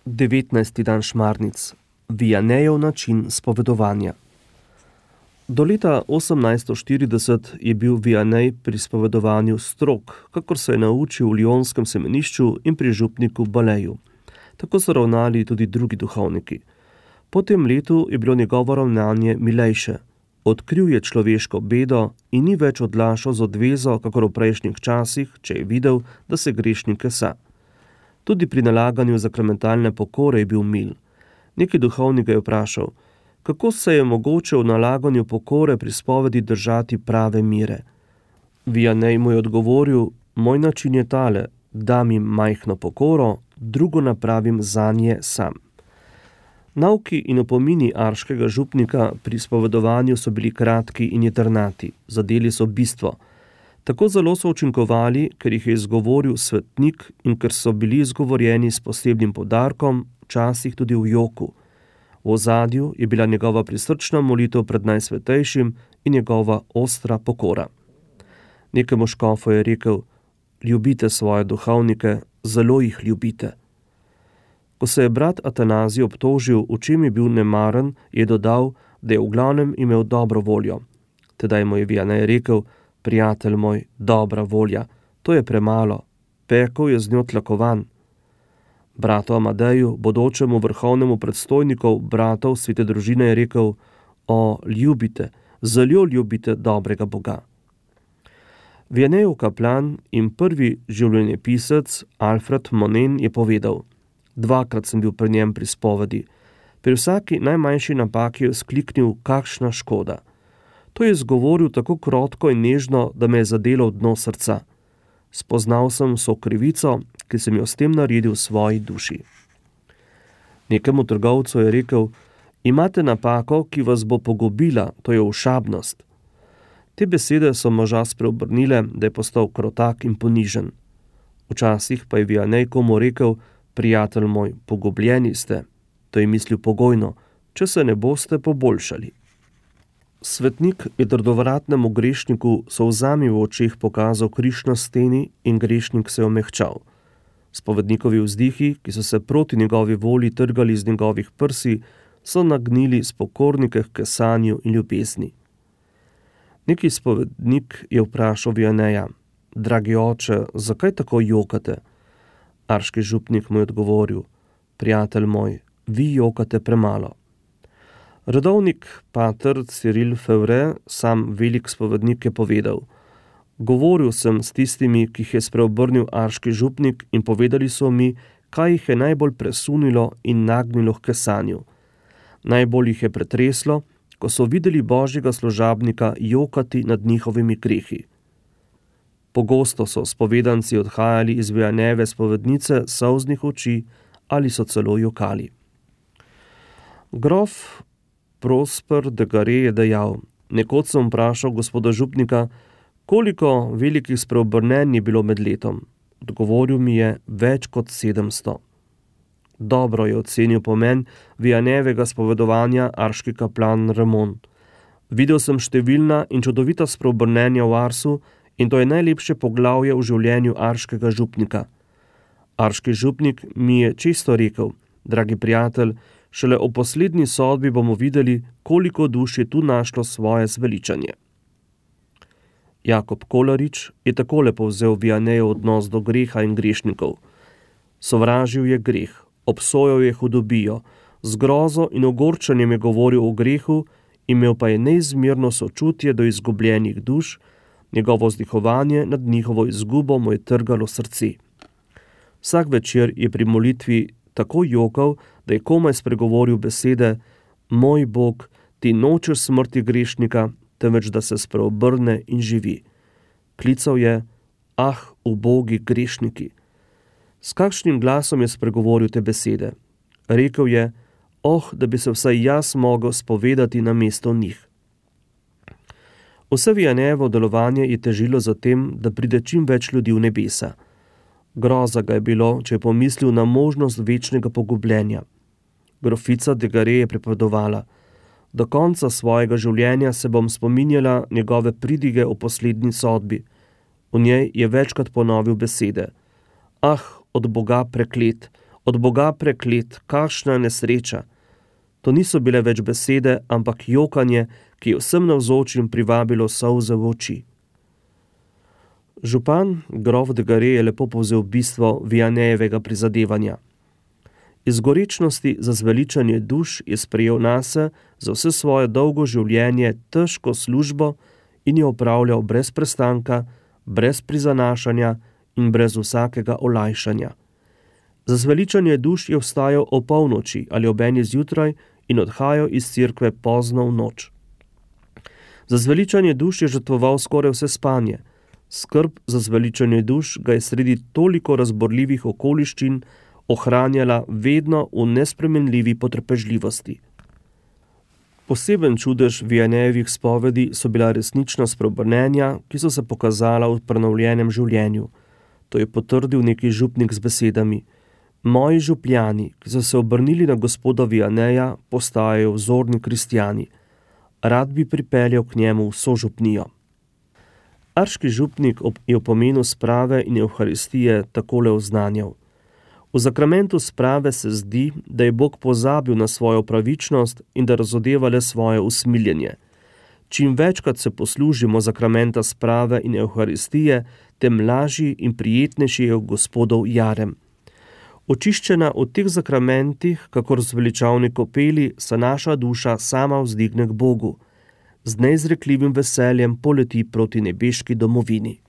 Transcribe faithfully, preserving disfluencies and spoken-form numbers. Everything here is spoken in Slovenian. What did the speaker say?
devetnajsti dan šmarnic. Vianejev način spovedovanja. Do leta osemnajststo štirideset je bil Vianej pri spovedovanju strog, kakor se je naučil v Lyonskem semenišču in pri župniku Baleju. Tako so ravnali tudi drugi duhovniki. Po tem letu je bilo njegovo ravnanje milejše. Odkril je človeško bedo in ni več odlašal z odvezo, kakor v prejšnjih časih, če je videl, da se grešnik kesa. Tudi pri nalaganju zakramentalne pokore je bil mil. Neki duhovnik ga je vprašal, kako se je mogoče v nalaganju pokore pri spovedi držati prave mire. Vianej mu je odgovoril, moj način je tale, dam jim majhno pokoro, drugo napravim zanje sam. Nauki in opomini arškega župnika pri spovedovanju so bili kratki in jedrnati, zadeli so bistvo. Tako zelo so učinkovali, ker jih je izgovoril svetnik in ker so bili izgovorjeni s posebnim poudarkom, včasih tudi v joku. V ozadju je bila njegova prisrčna molitev pred Najsvetejšim in njegova ostra pokora. Nekemu škofu je rekel, ljubite svoje duhovnike, zelo jih ljubite. Ko se je brat Atanazij obtožil, v čem je bil nemaren, je dodal, da je v glavnem imel dobro voljo. Tedaj mu je Vianej rekel, prijatelj moj, dobra volja, to je premalo, pekel je z njo tlakovan. Bratu Amadeju, bodočemu vrhovnemu predstojniku bratov svete družine, je rekel, o, ljubite, zelo ljubite dobrega Boga. Vianejev kaplan in prvi življenjepisec Alfred Monen je povedal, dvakrat sem bil pri njem pri spovedi. Pri vsaki najmanjši napaki je skliknil, kakšna škoda. To je izgovoril tako krotko in nežno, da me je zadelo v dno srca. Spoznal sem vso krivico, ki sem jo s tem naredil v svoji duši. Nekemu trgovcu je rekel, imate napako, ki vas bo pogubila, to je ošabnost. Te besede so moža spreobrnile, da je postal krotak in ponižen. Včasih pa je Vianej komu rekel, prijatelj moj, pogubljeni ste. To je mislil pogojno, če se ne boste poboljšali. Svetnik je trdovratnemu grešniku solzami v očeh pokazal križ na steni in grešnik se je omehčal. Spovednikovi vzdihi, ki so se proti njegovi volji trgali iz njegovih prsi, so nagnili spokornike k kesanju in ljubezni. Neki spovednik je vprašal Vianeja, dragi oče, zakaj tako jokate? Arški župnik mu je odgovoril, prijatelj moj, vi jokate premalo. Redovnik pater Cyril Fevre, sam velik spovednik, je povedal, govoril sem s tistimi, ki jih je spreobrnil arški župnik in povedali so mi, kaj jih je najbolj presunilo in nagnilo k kesanju. Najbolj jih je pretreslo, ko so videli božjega služabnika jokati nad njihovimi grehi. Pogosto so spovedanci odhajali iz Vianejeve spovednice solznih oči ali so celo jokali. Grof Prosper de Gare je dejal, nekoč sem vprašal gospoda župnika, koliko velikih spreobrnenj je bilo med letom. Odgovoril mi je več kot sedemsto. Dobro je ocenil pomen Vianejevega spovedovanja arški kaplan Ramon. Videl sem številna in čudovita spreobrnenja v Arsu in to je najlepše poglavje v življenju arškega župnika. Arški župnik mi je čisto rekel, dragi prijatelj, šele o poslednji sodbi bomo videli, koliko duš je tu našlo svoje zveličanje. Jakob Kolarič je takole povzel Vianejev odnos do greha in grešnikov. Sovražil je greh, obsojal je hudobijo, z grozo in ogorčenjem je govoril o grehu, imel pa je neizmerno sočutje do izgubljenih duš, njegovo vzdihovanje nad njihovo izgubo mu je trgalo srce. Vsak večer je pri molitvi tako jokal, da je komaj spregovoril besede, moj Bog, ti nočeš smrti grešnika, temveč da se spreobrne in živi. Klical je, ah, ubogi grešniki. S kakšnim glasom je spregovoril te besede? Rekel je, oh, da bi se vsaj jaz mogel spovedati na mesto njih. Vse Vianejevo delovanje je težilo za tem, da pride čim več ljudi v nebesa. Groza ga je bilo, če je pomislil na možnost večnega pogubljenja. Grofica de Gare je pripovedovala, do konca svojega življenja se bom spominjala njegove pridige o poslednji sodbi. V njej je večkrat ponovil besede. Ah, od Boga preklet, Od Boga preklet, kakšna nesreča. To niso bile več besede, ampak jokanje, ki je vsem navzočim privabilo solze v oči. Župan grof de Gare je lepo povzel bistvo Vianneyjevega prizadevanja. Iz gorečnosti za zveličanje duš je sprejel nase za vse svoje dolgo življenje težko službo in jo opravljal brez prestanka, brez prizanašanja in brez vsakega olajšanja. Za zveličanje duš je vstajal o polnoči ali ob eni zjutraj in odhajal iz cerkve pozno v noč. Za zveličanje duš je žrtvoval skoraj vse spanje. Skrb za zveličanje duš ga je sredi toliko razborljivih okoliščin ohranjala vedno v nespremenljivi potrpežljivosti. Poseben čudež Vianneyjevih spovedi so bila resnična spreobrnenja, ki so se pokazala v prenovljenem življenju. To je potrdil neki župnik z besedami: Moji župljani, ki so se obrnili na gospoda Vianneyja, postajajo vzorni kristjani. Rad bi pripeljal k njemu vso župnijo. Arški župnik je o pomenu sprave in evharistije takole oznanjal: V zakramentu sprave se zdi, da je Bog pozabil na svojo pravičnost in da razodeva le svoje usmiljenje. Čim večkrat se poslužimo zakramenta sprave in evharistije, tem lažji in prijetnejši je gospodov jarem. Očiščena v teh zakramentih, kakor zveličavni kopeli, se naša duša sama vzdigne k Bogu. Z neizrekljivim veseljem poleti proti nebeški domovini.